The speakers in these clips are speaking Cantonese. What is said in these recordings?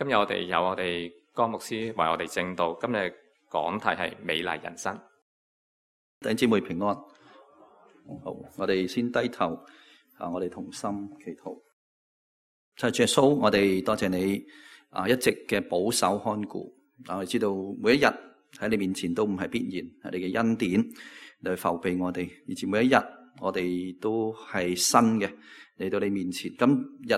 今日我哋有我哋江牧師為我哋證道，今日講題係美麗人生。弟兄姊妹平安。好，我哋先低頭，我哋同心祈禱。主耶穌，我哋多謝你一直嘅保守看顧。我哋知道每一日喺你面前都唔係必然，係你嘅恩典嚟扶庇我哋，以至每一日我哋都係新嘅嚟到你面前。今日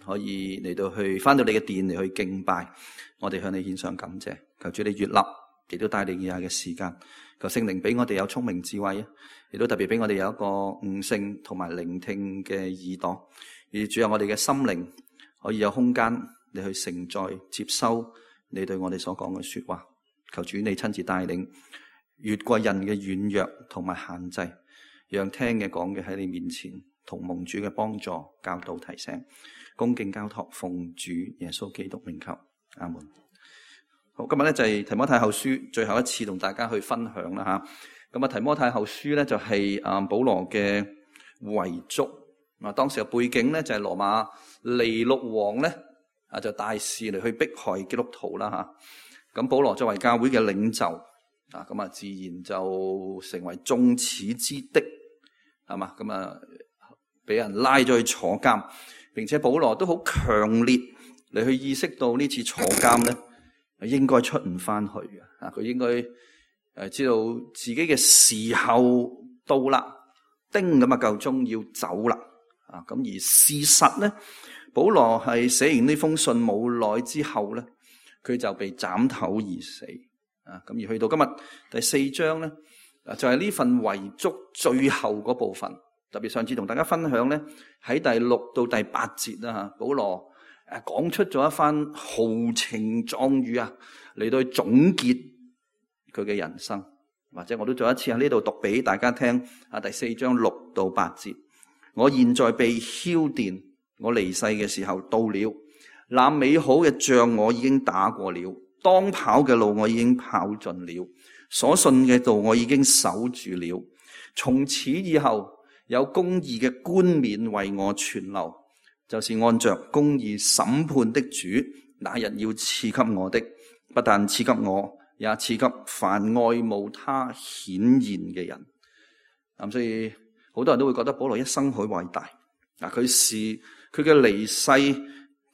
可以嚟到去返到你嘅殿嚟去敬拜，我哋向你獻上感謝。求主你悅納，亦都帶領以下嘅時間。求聖靈俾我哋有聰明智慧，亦都特別俾我哋有一個悟性同埋聆聽嘅耳朵，而主有我哋嘅心靈可以有空間你去承載接收你對我哋所講嘅說話。求主你親自帶領，越過人嘅軟弱同埋限制，讓聽嘅講嘅喺你面前同蒙主嘅幫助教導提醒，恭敬交託奉主耶穌基督名求，阿門。好，今日咧就係提摩太後書最後一次同大家去分享啦吓。咁啊，提摩太後書咧就係保羅嘅遺囑。當時嘅背景咧就係羅馬尼祿王咧就大肆嚟去迫害基督徒啦吓。咁保羅作為教會嘅領袖咁啊自然就成為眾矢之的，係嘛？咁啊俾人拉咗去坐監，並且保羅都好強烈嚟去意識到呢次坐監咧應該出唔翻去嘅。佢應該知道自己嘅時候到啦，叮咁啊夠鐘要走啦。咁而事實咧，保羅係寫完呢封信冇耐之後咧，佢就被斬頭而死。咁而去到今日第4章咧，就係呢份遺囑最後嗰部分。特別上次同大家分享咧，喺第6到第8節啦吓，保羅講出咗一番豪情壯語嚟到去總結佢嘅人生。或者我都再一次喺呢度讀俾大家聽第4章6到8節。我現在被澆奠，我離世嘅時候到了。那美好嘅仗我已經打過了，當跑嘅路我已經跑盡了，所信嘅道我已經守住了。從此以後，有公義嘅冠冕為我存留，就是按着公義審判的主那日要賜給我的，不但賜給我，也賜給凡愛慕他顯現嘅人。所以好多人都會覺得保羅一生好偉大。佢嘅離世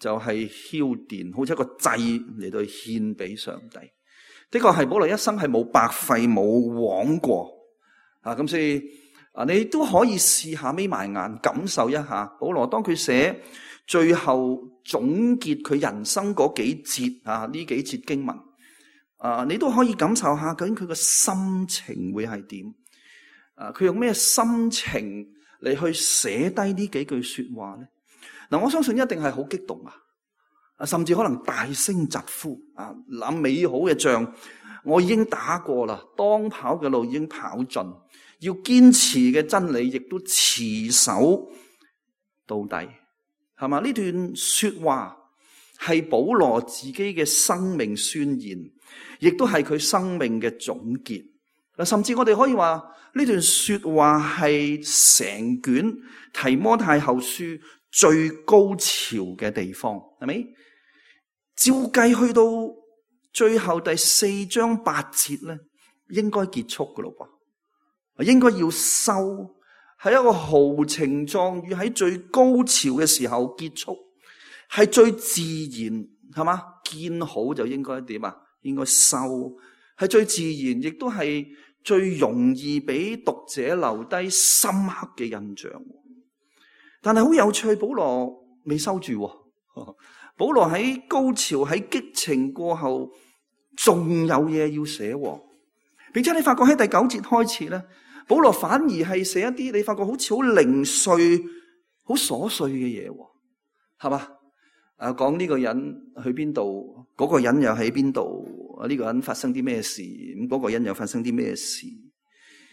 就係澆奠，好似一個祭嚟到獻俾上帝。的確係保羅一生係冇白費冇枉過。咁所以你都可以試下眯埋眼感受一下保羅當佢寫最後總結佢人生嗰幾節呢幾節經文你都可以感受下究竟佢個心情會係點。佢用咩心情嚟去寫低呢幾句說話咧？我相信一定係好激動甚至可能大聲疾呼那美好嘅仗我已經打過啦，當跑嘅路已經跑盡，要堅持嘅真理亦都持守到底，係嘛？呢段說話係保羅自己嘅生命宣言，亦都係佢生命嘅總結。甚至我哋可以話呢段說話係成卷提摩太後書最高潮嘅地方，係咪？照計去到最後第4章8節咧，應該結束噶咯噃，應該要收，係一個豪情壯語喺最高潮嘅時候結束，係最自然，係嘛？見好就應該點應該收，係最自然，亦都係最容易俾讀者留低深刻嘅印象。但係好有趣，保羅未收住。保羅喺高潮喺激情過後，仲有嘢要寫，並且你發覺喺第9節開始咧，保羅反而係寫一啲你發覺好似好零碎、好瑣碎嘅嘢，係嘛？講呢個人去邊度，嗰個人又喺邊度，呢個人發生啲咩事，咁嗰個人又發生啲咩事，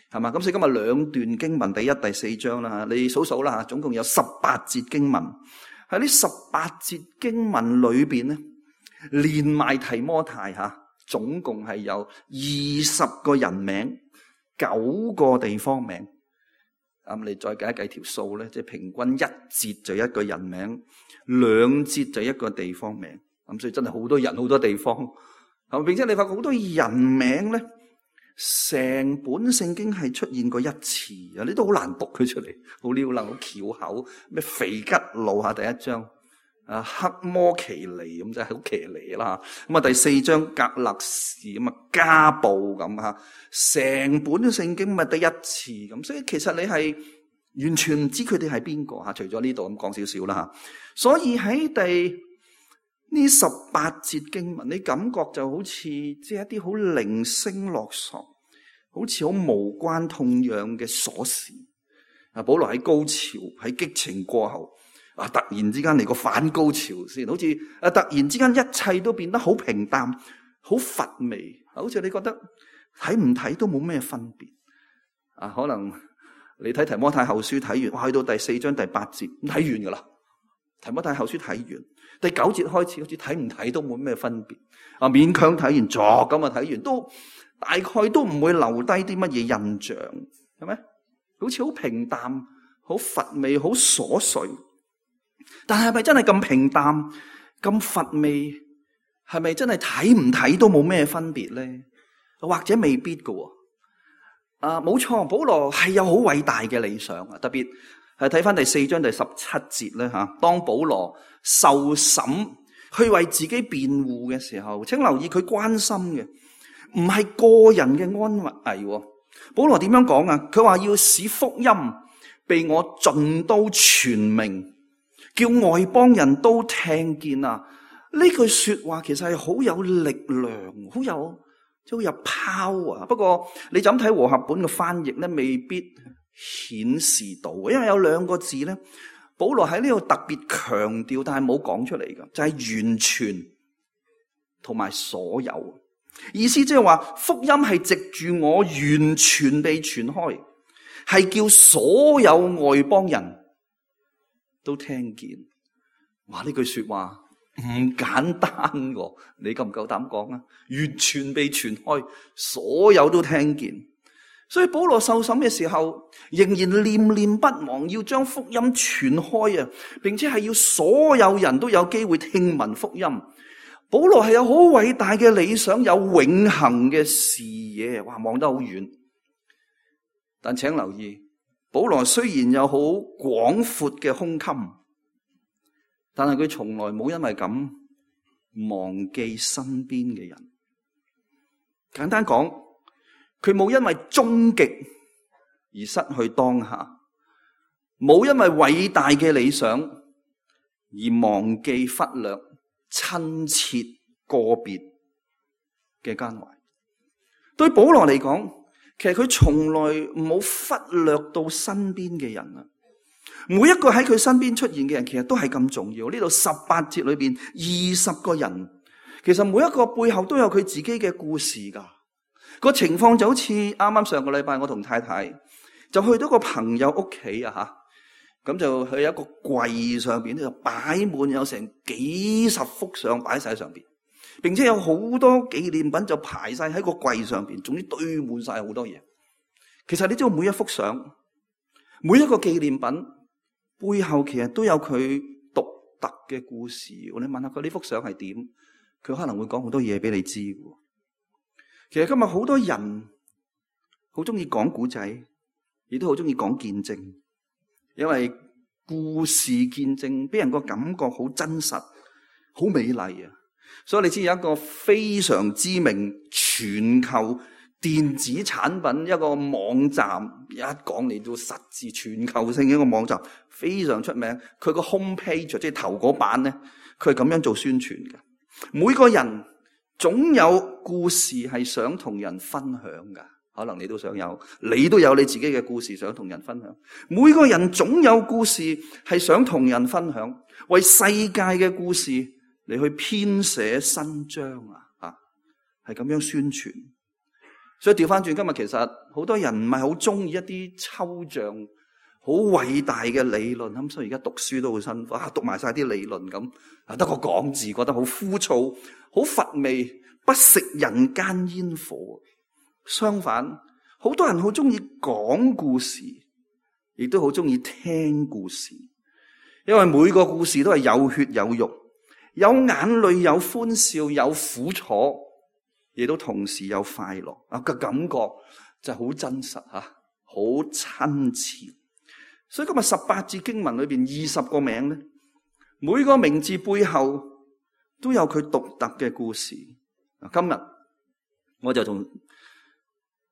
係嘛？咁所以今日2段經文，第1、第4章啦，你數數啦，總共有18節經文。喺呢18節經文裏邊咧，連埋提摩太總共係有20個人名，9個地方名。你再計一計條數咧，即係平均1節就一個人名，2節就一個地方名。咁所以真係好多人好多地方，並且你發覺好多人名咧，成本聖經係出現過一次啊！你都好難讀佢出嚟，好溜楞，好翹口，咩肥吉路下第一章。黑摩其尼咁真係好騎呢啦，咁啊第4章格勒士咁啊加布咁吓，成本聖經咪得一次咁，所以其實你係完全唔知佢哋係邊個吓，除咗呢度咁講少少啦吓。所以喺呢18節經文，你感覺就好似即係一啲好零星落索，好似好無關痛癢嘅瑣事。保羅喺高潮喺激情過後。突然之間嚟個反高潮先，好似突然之間一切都變得好平淡、好乏味，好似你覺得睇唔睇都冇咩分別。可能你睇提摩太後書睇完，去到第4章第8節睇完噶啦。提摩太後書睇完，第9節開始好似睇唔睇都冇咩分別。勉強睇完作咁啊睇完，都大概都唔會留低啲乜嘢印象，係咪？好似好平淡、好乏味、好瑣碎。但係咪真係咁平淡、咁乏味？係咪真係睇唔睇都冇咩分別咧？或者未必噶。冇錯，保羅係有好偉大嘅理想啊！特別係睇翻第4章第17節咧吓，當保羅受審去為自己辯護嘅時候，請留意佢關心嘅唔係個人嘅安危。保羅點樣講啊？佢話要使福音被我盡都傳明，叫外邦人都聽見啊！呢句說話其實係好有力量，好有 power。不過你就咁睇和合本嘅翻譯咧，未必顯示到，因為有2個字咧，保羅喺呢度特別強調，但係冇講出嚟嘅，就係完全同埋所有。意思即係話福音係藉住我完全地傳開，係叫所有外邦人都聽見。哇！呢句說話唔簡單喎，你夠唔夠膽講啊？完全被傳開，所有都聽見。所以保羅受審嘅時候，仍然念念不忘要將福音傳開啊，並且係要所有人都有機會聽聞福音。保羅係有好偉大嘅理想，有永恆嘅視野，哇，望得好遠。但請留意，保羅雖然有好廣闊嘅胸襟，但係佢從來冇因為咁忘記身邊嘅人。簡單講，佢冇因為終極而失去當下，冇因為偉大嘅理想而忘記忽略親切個別嘅關懷。對保羅嚟講，其實佢從來冇忽略到身邊嘅人啊！每一個喺佢身邊出現嘅人，其實都係咁重要。呢度18節裏邊20個人，其實每一個背後都有佢自己嘅故事噶。個情況就好似啱啱上個禮拜，我同太太就去到個朋友屋企啊吓，咁就去一個櫃上邊咧，就擺滿有成幾十幅相擺晒上邊，並且有好多紀念品就排晒喺個櫃上邊，總之堆滿晒好多嘢。其實你知道每一幅相，每一個紀念品背後其實都有佢獨特嘅故事。你問下佢呢幅相係點，佢可能會講好多嘢俾你知。其實今日好多人好中意講古仔，亦都好中意講見證，因為故事見證俾人個感覺好真實、好美麗啊！所以你知有一個非常知名全球電子產品一個網站，一講嚟到實質全球性嘅一個網站，非常出名。佢個 home page 即係頭嗰版咧，佢係咁樣做宣傳嘅。每個人總有故事係想同人分享噶，可能你都想有，你都有你自己嘅故事想同人分享。每個人總有故事係想同人分享，為世界嘅故事嚟去編寫新章啊！係咁樣宣傳。所以調翻轉，今日其實好多人唔係好中意一啲抽象、好偉大嘅理論，咁所以而家讀書都好辛苦，讀埋晒啲理論咁，得個講字，覺得好枯燥、好乏味，不食人間煙火。相反，好多人好中意講故事，亦都好中意聽故事，因為每個故事都係有血有肉，有眼淚，有歡笑，有苦楚，亦都同時有快樂啊！個感覺就好真實吓，好親切。所以今日18節經文裏邊20個名咧，每個名字背後都有佢獨特嘅故事。今日我就同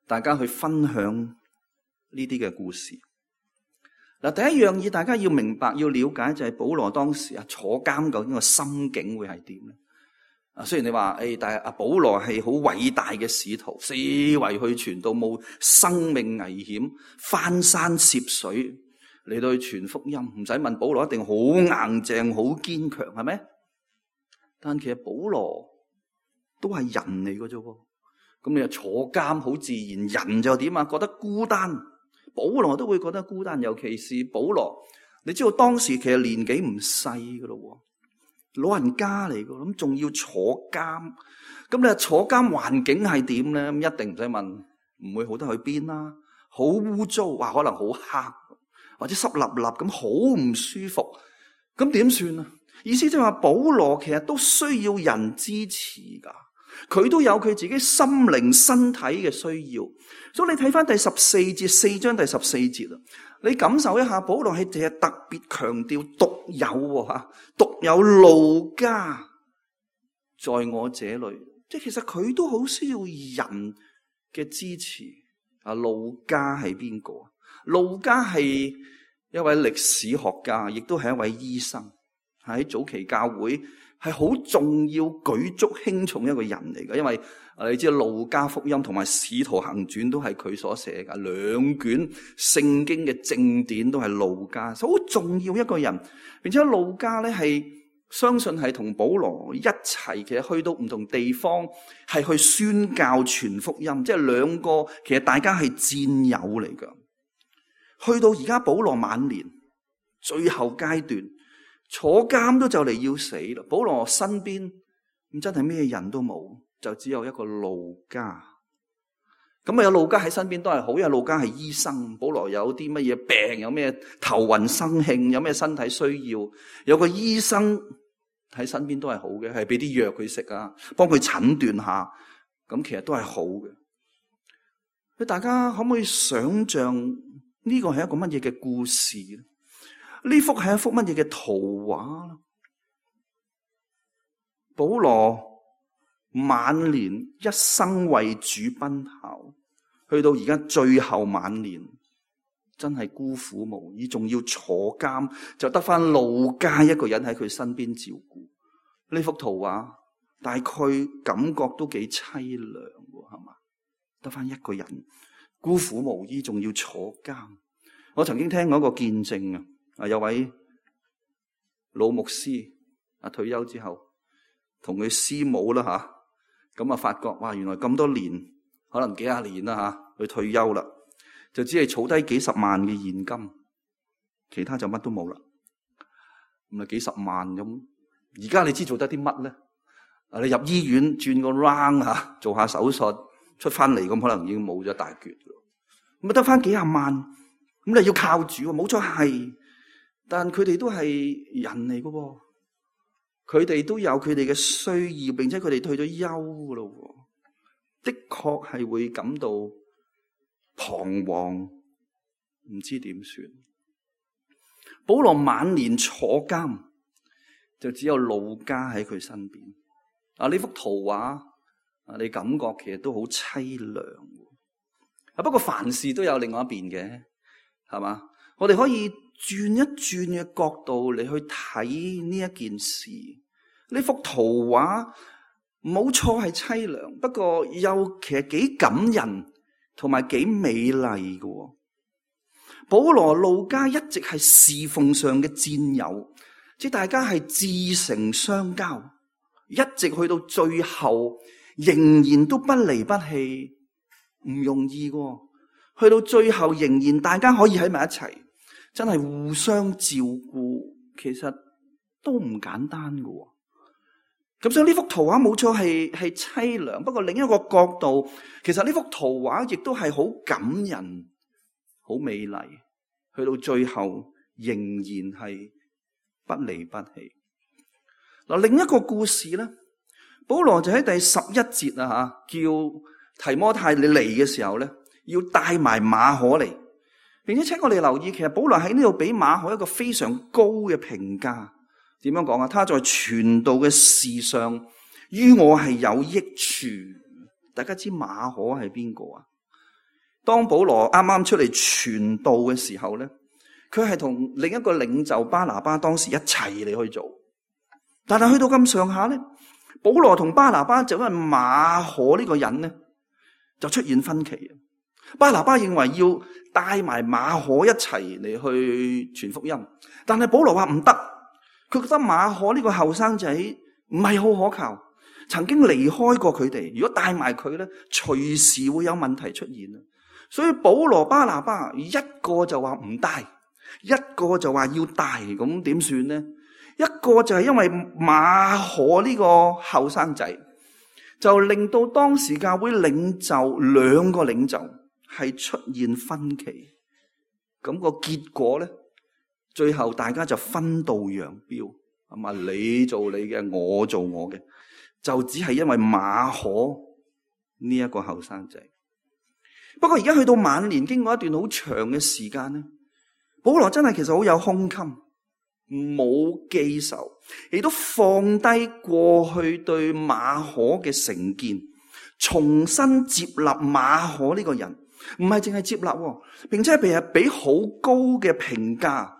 大家去分享呢啲嘅故事。嗱，第一樣嘢大家要明白、要了解就係保羅當時坐監究竟個心境會係點咧？雖然你話但係保羅係好偉大嘅使徒，四圍去傳道，冇生命危險，翻山涉水嚟到去傳福音，唔使問保羅一定好硬淨、好堅強，係咪？但其實保羅都係人嚟嘅啫喎，咁你又坐監好自然，人就點啊？覺得孤單。保羅都會覺得孤單，尤其是保羅，你知道當時其實年紀唔細噶咯，老人家嚟噶，咁仲要坐監，咁你話坐監環境係點咧？咁一定唔使問，唔會好得去邊啦，好污糟，話可能好黑，或者濕立立咁，好唔舒服，咁點算啊？意思即係話保羅其實都需要人支持噶。佢都有佢自己心靈身體嘅需要，所以你睇翻第14節，4章第14節啊，你感受一下保羅係特別強調獨有吓，獨有路加在我這裏，即係其實佢都好需要人嘅支持。路加係邊個？路加係一位歷史學家，亦都係一位醫生，喺早期教會係好重要、舉足輕重一個人嚟嘅，因為你知道路加福音同埋使徒行傳都係佢所寫嘅，兩卷聖經嘅正典都係路加，好重要一個人。並且路加咧係相信係同保羅一齊，其實去到唔同地方係去宣教傳福音，即係兩個其實大家係戰友嚟㗎。去到而家保羅晚年最後階段，坐監都就嚟要死啦！保羅身邊咁真係咩人都冇，就只有一個路加。咁有路加喺身邊都係好，因為路加係醫生。保羅有啲乜嘢病，有咩頭暈生慶，有咩身體需要，有個醫生喺身邊都係好嘅，係俾啲藥佢食啊，幫佢診斷下，咁其實都係好嘅。大家可唔可以想象呢個係一個乜嘢嘅故事咧？呢幅係一幅乜嘢嘅圖畫？保羅晚年一生為主奔跑，去到而家最後晚年，真係孤苦無依，仲要坐監，就得翻路加一個人喺佢身邊照顧。呢幅圖畫大概感覺都幾淒涼，係嘛？得翻一個人孤苦無依，仲要坐監。我曾經聽過一個見證有位老牧師退休之後，同佢師母啦咁發覺哇，原來咁多年，可能幾廿年啦佢退休啦，就只係儲低幾十萬嘅現金，其他就乜都冇啦。咁幾十萬咁，而家你知做得啲乜咧？你入醫院轉個 round 做下手術，出翻嚟咁可能已經冇咗大橛咯。咁得翻幾廿萬，咁你要靠主，冇錯係。但佢哋都係人嚟噶，佢哋都有佢哋嘅需要，並且佢哋退咗休噶咯，的確係會感到彷徨，唔知點算。保羅晚年坐監，就只有路加喺佢身邊。呢幅圖畫你感覺其實都好淒涼。不過凡事都有另外一邊嘅，係嘛？我哋可以轉一轉嘅角度嚟去睇呢一件事，呢幅圖畫冇錯係淒涼，不過又其實幾感人同埋幾美麗嘅。保羅路加一直係侍奉上嘅戰友，即係大家係至誠相交，一直去到最後仍然都不離不棄，唔容易嘅。去到最後仍然大家可以喺埋一齊，真係互相照顧，其實都唔簡單嘅。咁所以呢幅圖畫冇錯係淒涼，不過另一個角度，其實呢幅圖畫亦都係好感人、好美麗。去到最後仍然係不離不棄。嗱，另一個故事咧，保羅就喺第11節啊，叫提摩太你嚟嘅時候咧，要帶埋馬可嚟，並且請我哋留意，其實保羅喺呢度俾馬可一個非常高嘅評價。點樣講啊？他在傳道嘅事上，於我係有益處。大家知馬可係邊個啊？當保羅啱啱出嚟傳道嘅時候咧，佢係同另一個領袖巴拿巴當時一齊嚟去做，但係去到咁上下咧，保羅同巴拿巴就因為馬可呢個人咧，就出現分歧。巴拿巴認為要帶埋馬可一齊嚟去傳福音，但係保羅話唔得，佢覺得馬可呢個後生仔唔係好可靠，曾經離開過佢哋，如果帶埋佢咧，隨時會有問題出現。所以保羅巴拿巴一個就話唔帶，一個就話要帶，咁點算呢？一個就係因為馬可呢個後生仔，就令到當時教會領袖兩個領袖係出現分歧，咁個結果咧，最後大家就分道揚鑣，係嘛？你做你嘅，我做我嘅，就只係因為馬可呢一個後生仔。不過而家去到晚年，經過一段好長嘅時間咧，保羅真係其實好有胸襟，冇記仇，亦都放低過去對馬可嘅成見，重新接納馬可呢個人，唔係淨係接納，並且係俾好高嘅評價。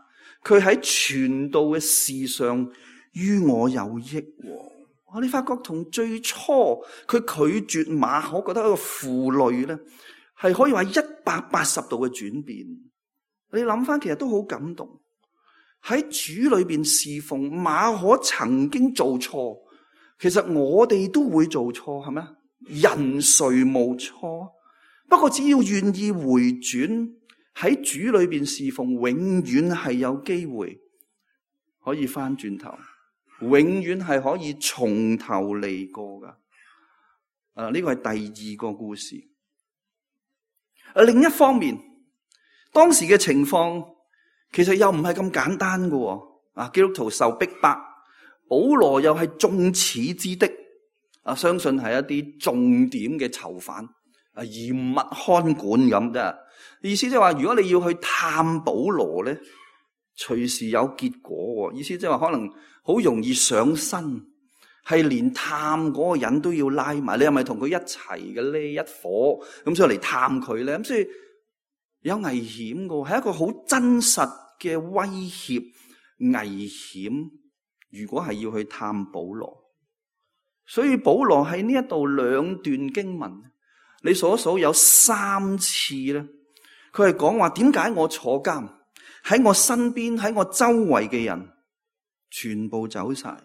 佢喺傳道嘅事上於我有益。你發覺同最初佢拒絕馬可，覺得一個負累咧，係可以話180度嘅轉變。你諗翻，其實都好感動。喺主裏邊侍奉，馬可曾經做錯，其實我哋都會做錯，係咪？人誰無錯？不過只要願意回轉，喺主裏邊侍奉，永遠係有機會可以翻轉頭，永遠係可以從頭嚟過噶。呢個係第二個故事。另一方面，當時嘅情況其實又唔係咁簡單噶。基督徒受逼迫，保羅又係眾矢之的，相信係一啲重點嘅囚犯，嚴密看管咁啫。意思即係話，如果你要去探保羅咧，隨時有結果。意思即係話，可能好容易上身，係連探嗰個人都要拉埋。你係咪同佢一齊嘅呢？一伙咁所以嚟探佢咧，咁所以有危險嘅，係一個好真實嘅威脅危險。如果係要去探保羅，所以保羅喺呢一度兩段經文，你數一數有3次咧，佢係講話點解我坐監，喺我身邊喺我周圍嘅人全部走晒，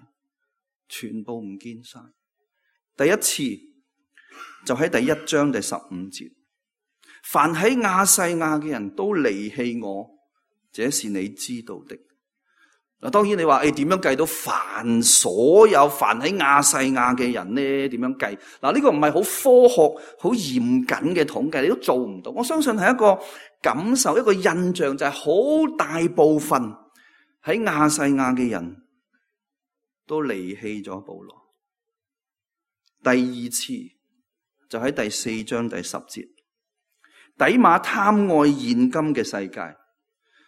全部唔見晒。第一次就喺第1章第15節，凡喺亞細亞嘅人都離棄我，這是你知道的。嗱，當然你話點樣計到所有凡喺亞細亞嘅人呢？點樣計？嗱，呢個唔係好科學、好嚴謹嘅統計，你都做唔到。我相信係一個感受，一個印象，就係好大部分喺亞細亞嘅人都離棄咗保羅。第二次就喺第4章第10節，底馬貪愛現今嘅世界，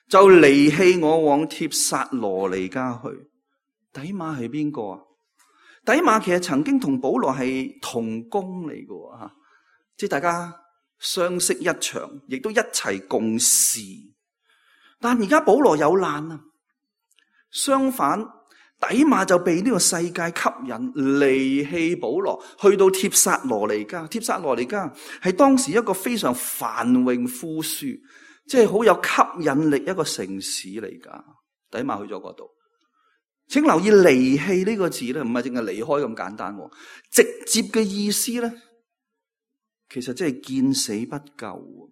就離棄我往帖撒羅尼迦去。底馬係邊個啊？底馬其實曾經同保羅係同工嚟嘅吓，即係大家相識一場，亦都一齊共事。但而家保羅有難啊，相反底馬就被呢個世界吸引，離棄保羅，去到帖撒羅尼迦。帖撒羅尼迦係當時一個非常繁榮富庶，即係好有吸引力一個城市嚟噶。底馬去咗嗰度，請留意離棄呢個字咧，唔係淨係離開咁簡單，直接嘅意思咧，其實即係見死不救。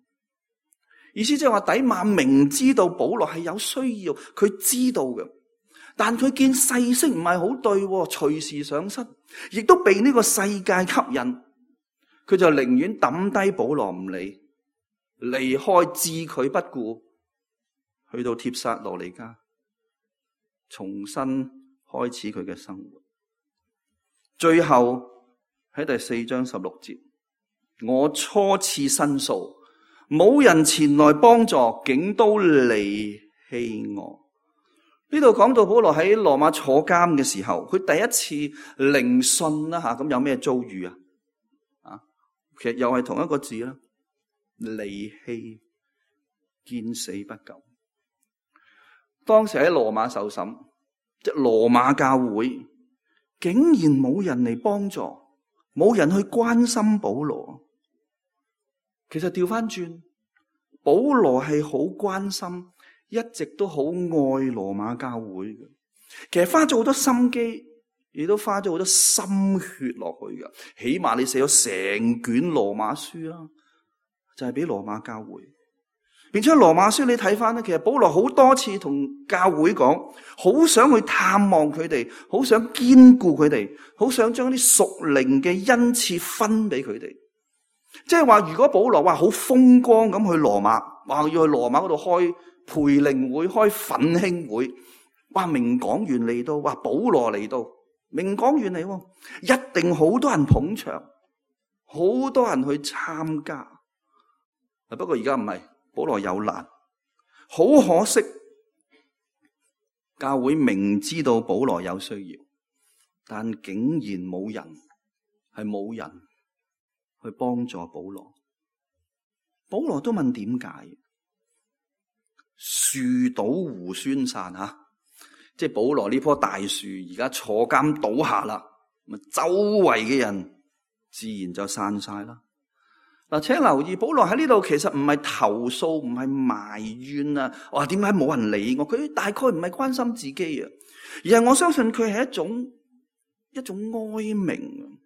意思即係話底馬明知道保羅係有需要，佢知道嘅，但佢見勢色唔係好對，隨時上身，亦都被呢個世界吸引，佢就寧願抌低保羅唔理，離開置佢不顧，去到帖撒羅尼迦，重新開始佢嘅生活。最後喺第4章16節，我初次申訴，冇人前來幫助，竟都離棄我。呢度講到保羅喺羅馬坐監嘅時候，佢第一次聆訊啦吓，咁有咩遭遇啊？其實又係同一個字啦，離棄，見死不救。當時喺羅馬受審，即係羅馬教會，竟然冇人嚟幫助，冇人去關心保羅。其實調翻轉，保羅係好關心，一直都好愛羅馬教會嘅。其實花咗好多心機，亦都花咗好多心血落去嘅。起碼你寫咗成卷羅馬書啦，就係俾羅馬教會。並且羅馬書你睇翻咧，其實保羅好多次同教會講，好想去探望佢哋，好想堅固佢哋，好想將啲屬靈嘅恩賜分俾佢哋。即係話，如果保羅話好風光咁去羅馬，話要去羅馬嗰度開培靈會、開奮興會，話名講員嚟到，話保羅嚟到，名講員嚟，一定好多人捧場，好多人去參加。不過而家唔係。保羅有難，好可惜，教會明知道保羅有需要，但竟然冇人去幫助保羅。保羅都問點解？樹倒猢猻散吓，即係保羅呢棵大樹而家坐監倒下啦，咁周圍嘅人自然就散晒啦。嗱，請留意，保羅喺呢度其實唔係投訴，唔係埋怨啊！哇，點解冇人理我？佢大概唔係關心自己啊，而係我相信佢係一種哀鳴，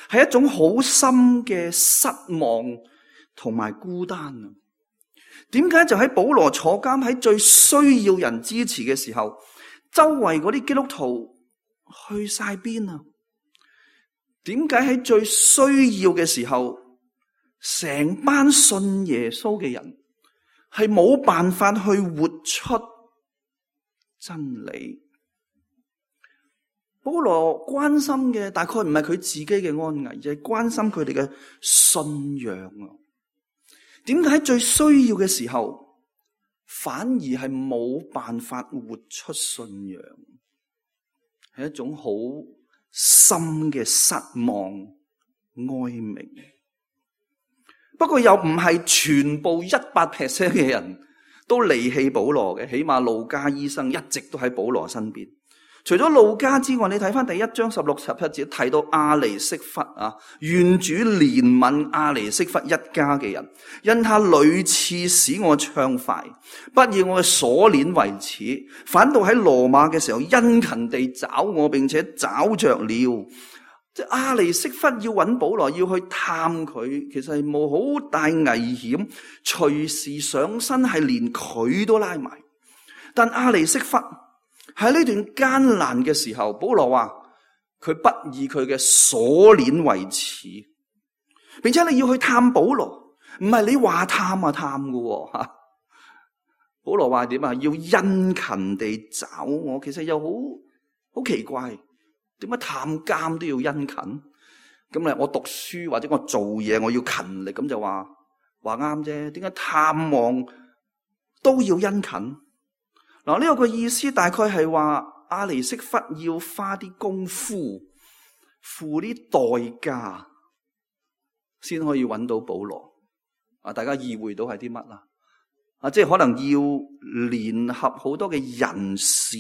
係一種好深嘅失望同埋孤單啊！點解就喺保羅坐監喺最需要人支持嘅時候，周圍嗰啲基督徒去晒邊啊？點解喺最需要嘅時候，成班信耶穌嘅人係冇辦法去活出真理？保羅關心嘅大概唔係佢自己嘅安危，而係關心佢哋嘅信仰啊！點解喺最需要嘅時候，反而係冇辦法活出信仰？係一種好深嘅失望、哀鳴。不過又唔係全部100% 嘅人都離棄保羅嘅，起碼路加醫生一直都喺保羅身邊。除咗路加之外，你睇翻第1章16、17節提到亞尼色弗啊，願主憐憫亞尼色弗一家嘅人，因他屢次使我暢快，不以我嘅鎖鏈為恥，反倒喺羅馬嘅時候殷勤地找我，並且找着了。即係亞尼色弗要揾保羅，要去探佢，其實係冇好大危險，隨時上身係連佢都拉埋。但亞尼色弗喺呢段艱難嘅時候，保羅話佢不以佢嘅鎖鏈為恥，並且你要去探保羅，唔係你話探啊探㗎吓。保羅話點啊？要殷勤地找我，其實又好奇怪。點解探監都要殷勤？咁咧，我讀書或者我做嘢，我要勤力，咁就話啱啫。點解探望都要殷勤？嗱，呢個意思大概係話亞尼色弗要花啲功夫，付啲代價，先可以揾到保羅。啊，大家意會到係啲乜啦？啊，即係可能要聯合好多嘅人士。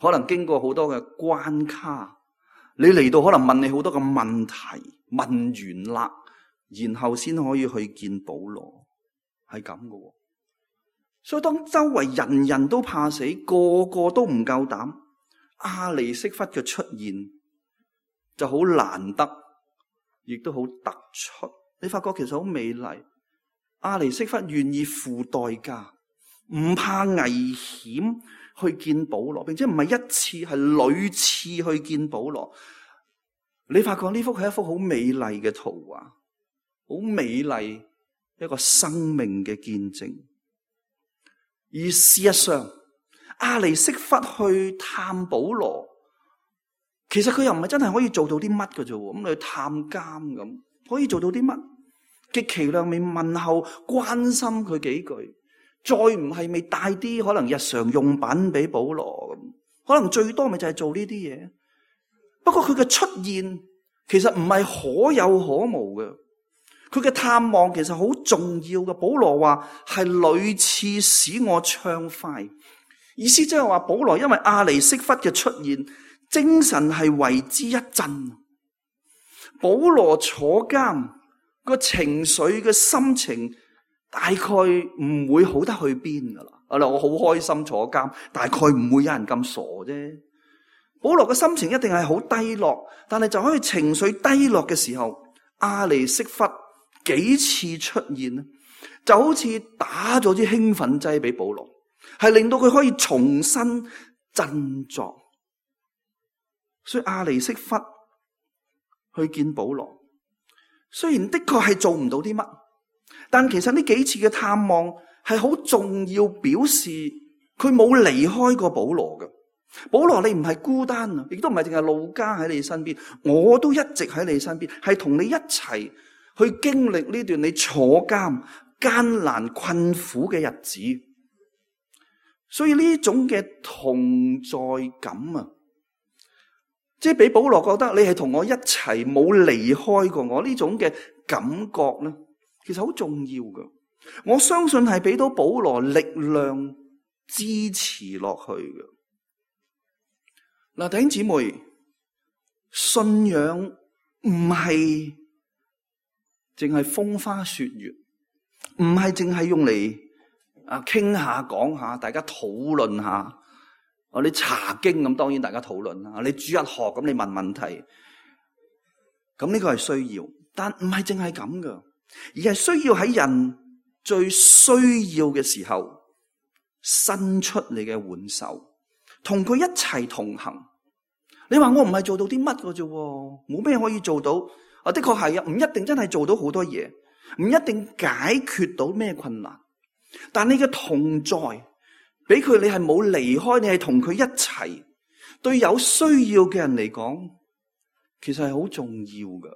可能經過好多嘅關卡，你嚟到可能問你好多嘅問題，問完啦，然後先可以去見保羅，係咁嘅。所以當周圍人人都怕死，個個都唔夠膽，亞尼色弗嘅出現就好難得，亦都好突出。你發覺其實好美麗，亞尼色弗願意付代價，唔怕危險。去見保羅，並且唔係一次，係屢次去見保羅。你發覺呢幅係一幅好美麗嘅圖畫，好美麗一個生命嘅見證。而事實上，亞尼色弗去探保羅，其實佢又唔係真係可以做到啲乜嘅啫，咁你去探監咁，可以做到啲乜？極其量未問候關心佢幾句，再唔係未帶啲可能日常用品俾保羅咁，可能最多咪就係做呢啲嘢。不過佢嘅出現其實唔係可有可無嘅，佢嘅探望其實好重要嘅。保羅話係屢次使我暢快，意思即係話保羅因為阿尼色弗嘅出現，精神係為之一振。保羅坐監個情緒嘅心情大概唔會好得去邊噶啦。我好開心坐監，大概唔會有人咁傻啫。保羅嘅心情一定係好低落，但係就可以情緒低落嘅時候，阿尼色弗幾次出現，就好似打咗啲興奮劑俾保羅，係令到佢可以重新振作。所以阿尼色弗去見保羅，雖然的確係做唔到啲乜，但其實呢幾次嘅探望係好重要，表示佢冇離開過保羅嘅。保羅，你唔係孤單啊，亦都唔係淨係路加喺你身邊，我都一直喺你身邊，係同你一齊去經歷呢段你坐監艱難困苦嘅日子。所以呢種嘅同在感啊，即係俾保羅覺得你係同我一齊，冇離開過我，呢種嘅感覺咧，其實好重要㗎。我相信係俾到保羅力量支持落去嘅。嗱，弟兄姊妹，信仰唔係淨係風花雪月，唔係淨係用嚟傾下講下，大家討論下。你查經咁，當然大家討論啦。你主日學咁，你問問題，咁呢個係需要，但唔係淨係咁噶，而係需要喺人最需要嘅時候伸出你嘅援手，同佢一齊同行。你話我唔係做到啲乜嘅啫，冇咩可以做到。的確係啊，唔一定真係做到好多嘢，唔一定解決到咩困難。但你嘅同在，俾佢你係冇離開，你係同佢一齊。對有需要嘅人嚟講，其實係好重要嘅。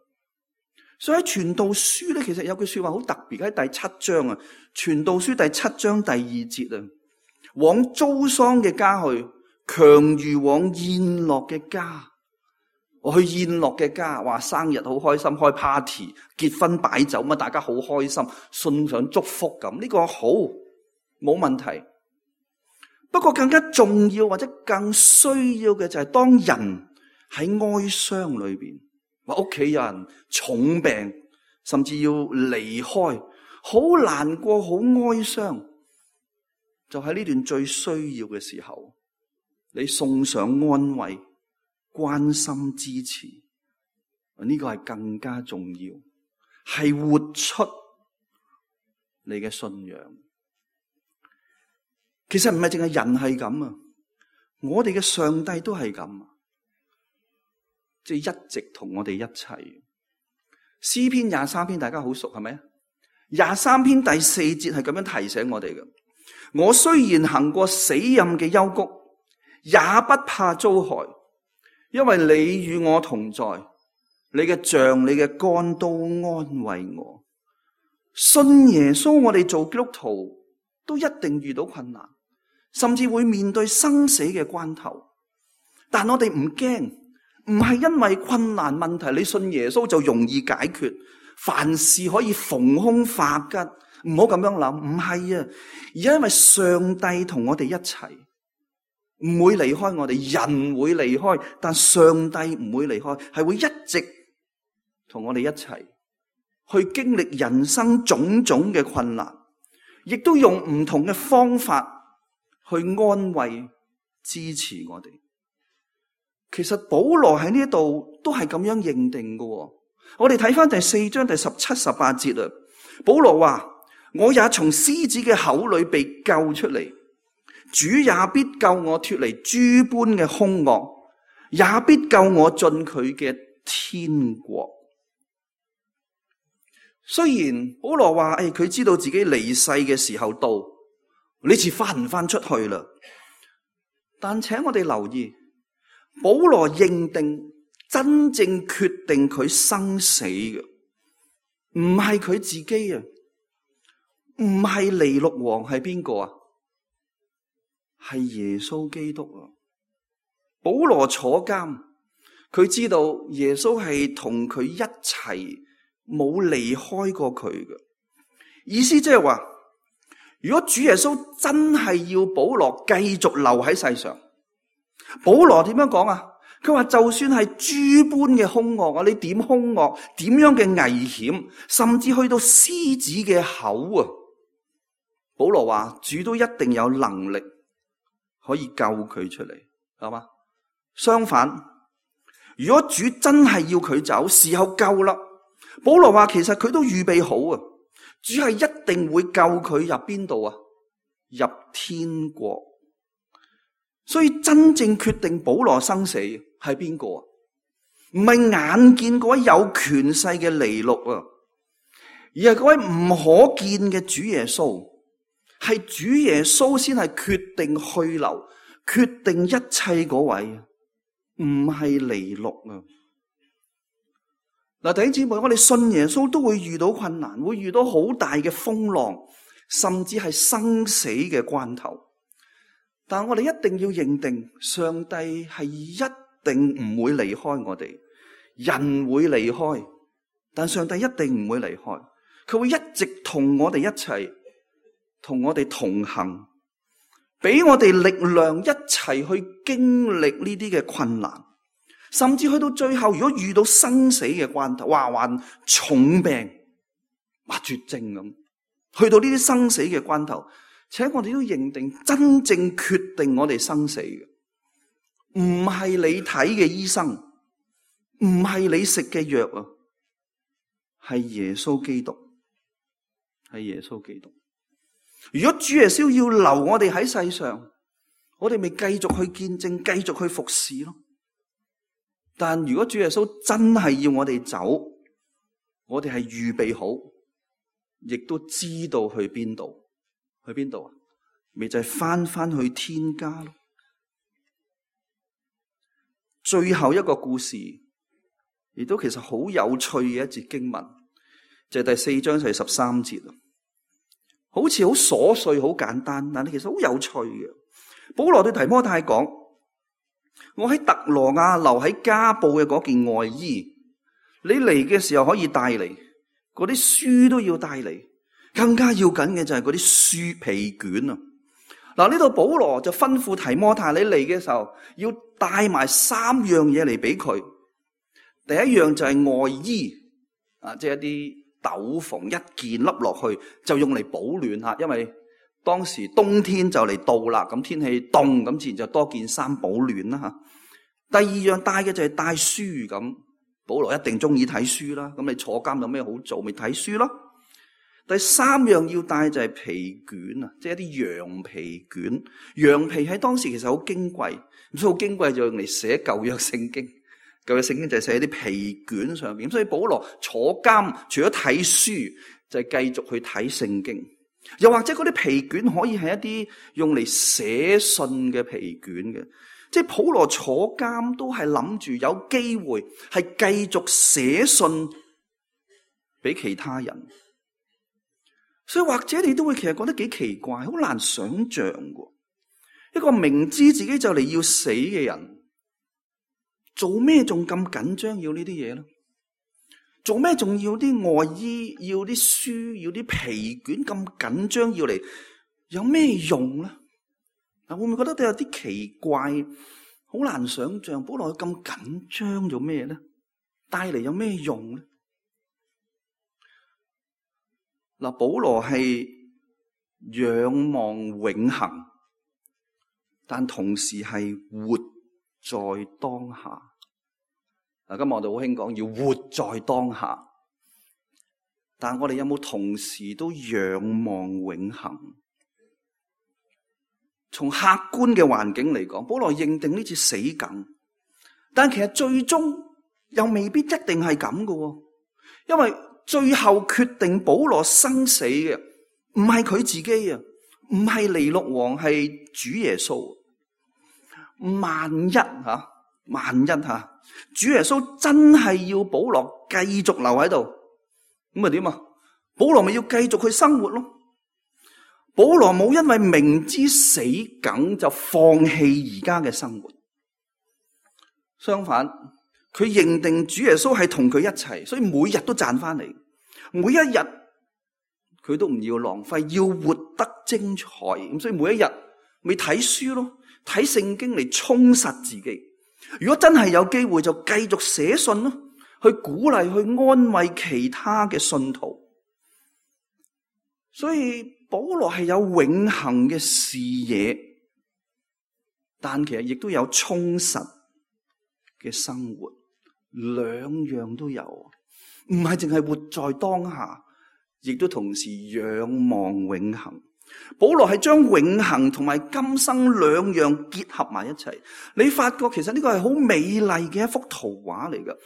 所以喺傳道書咧，其實有句說話好特別，喺第7章啊，傳道書第7章第2節啊，往遭喪嘅家去，強如往宴樂嘅家。我去宴樂嘅家，話生日好開心，開 party， 結婚擺酒，咁大家好開心，送上祝福咁，呢個好冇問題。不過更加重要或者更需要嘅就係當人喺哀傷裏邊，話屋企人重病，甚至要離開，好難過，好哀傷，就喺呢段最需要嘅時候，你送上安慰、關心、支持，呢個係更加重要，係活出你嘅信仰。其實唔係淨係人係咁啊，我哋嘅上帝都係咁啊，即係一直同我哋一齊。詩篇23篇大家好熟係咪？23篇第4節係咁樣提醒我哋嘅。我雖然行過死蔭嘅幽谷，也不怕遭害，因為你與我同在，你嘅杖、你嘅竿都安慰我。信耶穌，我哋做基督徒都一定遇到困難，甚至會面對生死嘅關頭。但我哋唔驚，唔係因為困難問題，你信耶穌就容易解決，凡事可以逢凶化吉。唔好咁樣諗，唔係啊，而係因為上帝同我哋一齊，唔會離開我哋。人會離開，但上帝唔會離開，係會一直同我哋一齊去經歷人生種種嘅困難，亦都用唔同嘅方法去安慰、支持我哋。其實保羅喺呢度都係咁樣認定嘅。我哋睇翻第4章第17、18節啊，保羅話：我也從獅子嘅口裏被救出嚟，主也必救我脫離諸般嘅兇惡，也必救我進佢嘅天國。雖然保羅話佢知道自己離世嘅時候到，呢次翻唔翻出去啦，但請我哋留意，保羅認定真正決定佢生死嘅，唔係佢自己啊，唔係尼祿王，係邊個啊？係耶穌基督啊！保羅坐監，佢知道耶穌係同佢一齊，冇離開過佢嘅。意思即係話，如果主耶穌真係要保羅繼續留喺世上，保羅點樣講啊？佢話就算係諸般嘅兇惡啊，你點兇惡，點樣嘅危險，甚至去到獅子嘅口啊，保羅話主都一定有能力可以救佢出嚟，係嘛？相反，如果主真係要佢走，時候夠啦，保羅話其實佢都預備好啊，主係一定會救佢入邊度啊？入天國。所以真正決定保羅生死係邊個啊？唔係眼見嗰位有權勢嘅尼祿啊，而係嗰位唔可見嘅主耶穌。係主耶穌先係決定去留、決定一切嗰位，唔係尼祿啊！嗱，弟兄姊妹，我哋信耶穌都會遇到困難，會遇到好大嘅風浪，甚至係生死嘅關頭。但我哋一定要認定，上帝係一定唔會離開我哋，人會離開，但上帝一定唔會離開，佢會一直同我哋一齊，同我哋同行，俾我哋力量一齊去經歷呢啲嘅困難，甚至去到最後，如果遇到生死嘅關頭，患重病，絕症咁，去到呢啲生死嘅關頭，且我哋都認定真正決定我哋生死嘅，唔係你睇嘅醫生，唔係你食嘅藥啊，係耶穌基督，係耶穌基督。如果主耶穌要留我哋喺世上，我哋咪繼續去見證，繼續去服侍咯。但如果主耶穌真係要我哋走，我哋係預備好，亦都知道去邊度。去邊度啊？咪就係翻去天家咯。最後一個故事，亦都其實好有趣嘅一節經文，就係第4章就係13節。好似好瑣碎、好簡單，但係其實好有趣嘅。保羅對提摩太講：我喺特羅亞留喺加布嘅嗰件外衣，你嚟嘅時候可以帶嚟，嗰啲書都要帶嚟。更加要緊嘅就係嗰啲書皮卷啊！嗱，呢度保羅就吩咐提摩太，你嚟嘅時候要帶埋3樣嘢嚟俾佢。第一樣就係外衣啊，即係一啲斗篷，一件笠落去就用嚟保暖吓，因為當時冬天就嚟到啦，咁天氣凍，咁自然就多件衫保暖啦吓。第二樣帶嘅就係帶書咁，保羅一定中意睇書啦，咁你坐監有咩好做，咪睇書咯。第3樣要帶就係皮卷啊，即係一啲羊皮卷。羊皮喺當時其實好矜貴，咁所以好矜貴就用嚟寫舊約聖經。舊約聖經就係寫喺啲皮卷上邊，所以保羅坐監除咗睇書，就係繼續去睇聖經。又或者嗰啲皮卷可以係一啲用嚟寫信嘅皮卷嘅，即係保羅坐監都係諗住有機會係繼續寫信俾其他人。所以或者你都會其實覺得幾奇怪，好難想象嘅。一個明知自己就嚟要死嘅人，做咩仲咁緊張要呢啲嘢咧？做咩仲要啲外衣、要啲書、要啲皮卷咁緊張要嚟？有咩用咧？嗱，會唔會覺得都有啲奇怪？好難想象，保羅咁緊張做咩咧？帶嚟有咩用咧？嗱，保羅係仰望永恆，但同時係活在當下。嗱，今日我哋好興講要活在當下，但我哋有冇同時都仰望永恆？從客觀嘅環境嚟講，保羅認定呢次死梗，但其實最終又未必一定係咁嘅，因為最後決定保羅生死嘅唔係佢自己啊，唔係尼祿王，係主耶穌。萬一萬一主耶穌真係要保羅繼續留喺度，咁咪點啊？保羅咪要繼續去生活咯。保羅冇因為明知死梗就放棄而家嘅生活，相反，佢認定主耶穌係同佢一齊，所以每日都賺翻嚟，每一日佢都唔要浪費，要活得精彩。咁所以每一日咪睇書咯，睇聖經嚟充實自己。如果真係有機會，就繼續寫信咯，去鼓勵、去安慰其他嘅信徒。所以保羅係有永恆嘅視野，但其實亦都有充實嘅生活，兩樣都有，唔係淨係活在當下，亦都同時仰望永恆。保羅係將永恆同埋今生兩樣結合埋一齊，你發覺其實呢個係好美麗嘅一幅圖畫嚟㗎。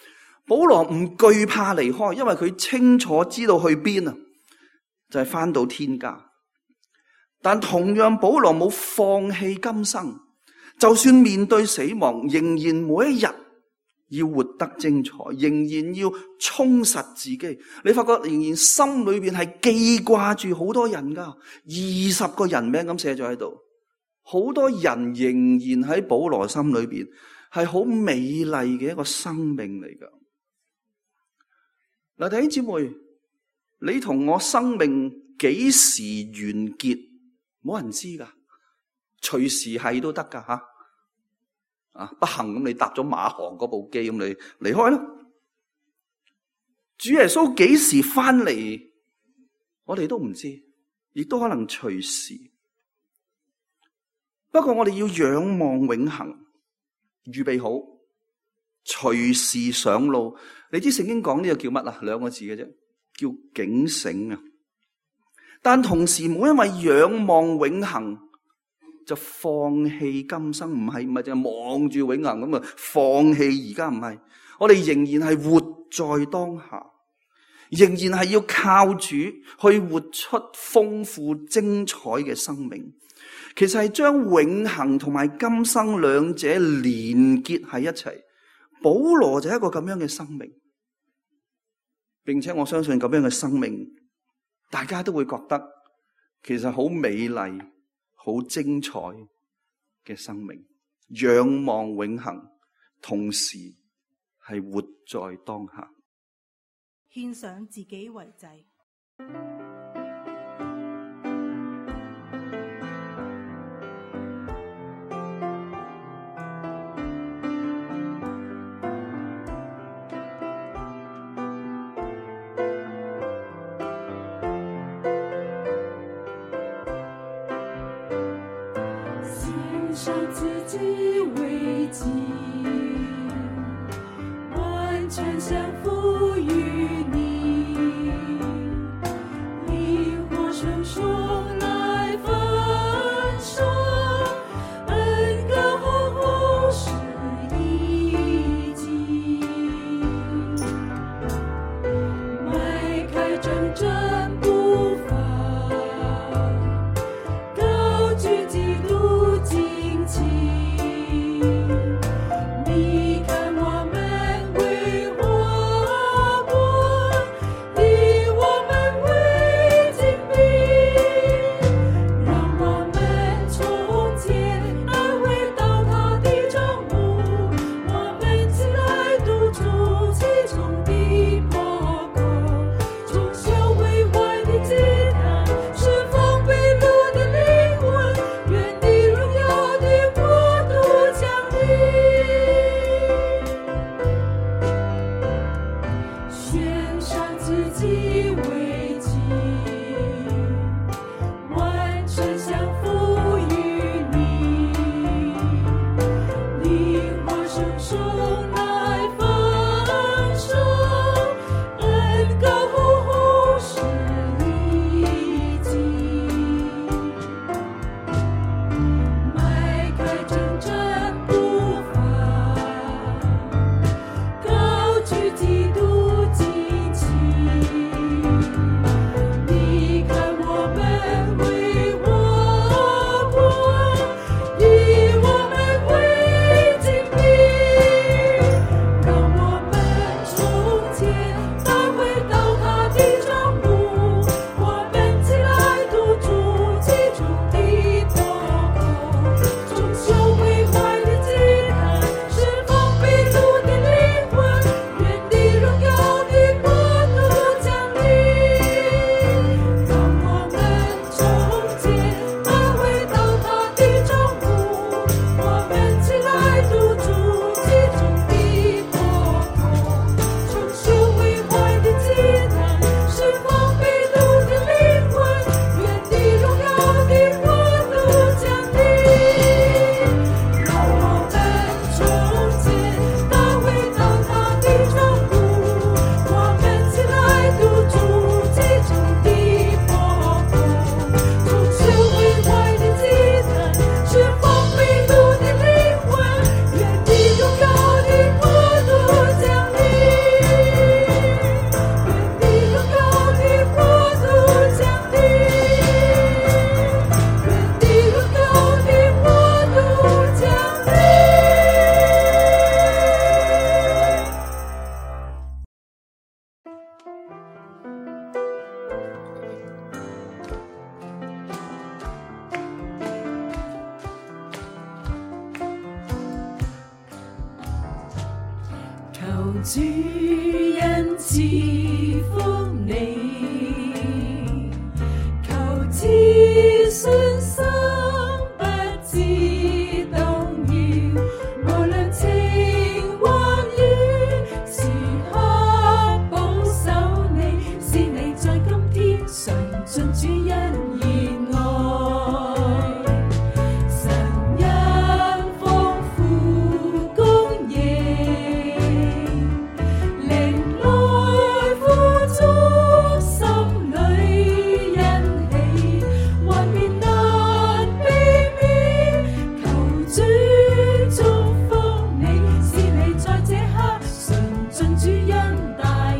保羅唔懼怕離開，因為佢清楚知道去邊啊，就係返到天家。但同樣保羅冇放棄今生，就算面對死亡，仍然每一日要活得精彩，仍然要充實自己。你發覺仍然心裏邊係記掛住好多人噶，20個人名咁寫咗喺度，好多人仍然喺保羅心裏邊係好美麗嘅一個生命嚟噶。嗱，弟兄姊妹，你同我生命幾時完結？冇人知噶，隨時係都得噶吓。不幸咁你搭咗馬航嗰部機咁你離開咯。主耶穌幾時翻嚟，我哋都唔知，亦都可能隨時。不過我哋要仰望永恆，預備好，隨時上路。你知聖經講呢個叫乜啊？2個字嘅啫，叫警醒啊。但同時冇因為仰望永恆就放棄今生，唔係淨係望住永恆咁啊，放棄而家，唔係。我哋仍然係活在當下，仍然係要靠主去活出豐富精彩嘅生命。其實係將永恆同埋今生兩者連結喺一齊。保羅就係一個咁樣嘅生命，並且我相信咁樣嘅生命，大家都會覺得其實好美麗、好精彩嘅生命，仰望永恆，同時係活在當下，獻上自己為祭。献上自己為祭，完全降服於你，靈活順從來分手，恩膏厚厚是一己，邁開真正步伐，高舉基督旌旗，你看我們為華國，以我們為精兵，讓我們從前安慰倒塌的帳幕，我們起來督促其中的破口，重修為壞的祭壇，釋放被擄的靈魂，願你榮耀的國度降臨。獻上自己為祭，完全降服於你，靈活順從來分手，恩膏厚厚是一己，邁開真正步伐，高舉基督旌旗，主恩賜福你，求自信心不知動搖，無論晴或雨，時刻保守你，是你在今天常盡主恩而愛。神因豐富供應，靈來富足，心裏欣喜，幻變難避免，求主祝福你，是你在這刻常盡主恩大愛。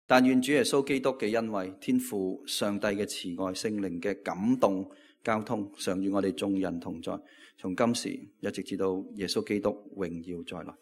但願主耶穌基督嘅恩惠、天父上帝嘅慈愛、聖靈嘅感動交通，常與我哋眾人同在，從今時一直至到耶穌基督榮耀再來。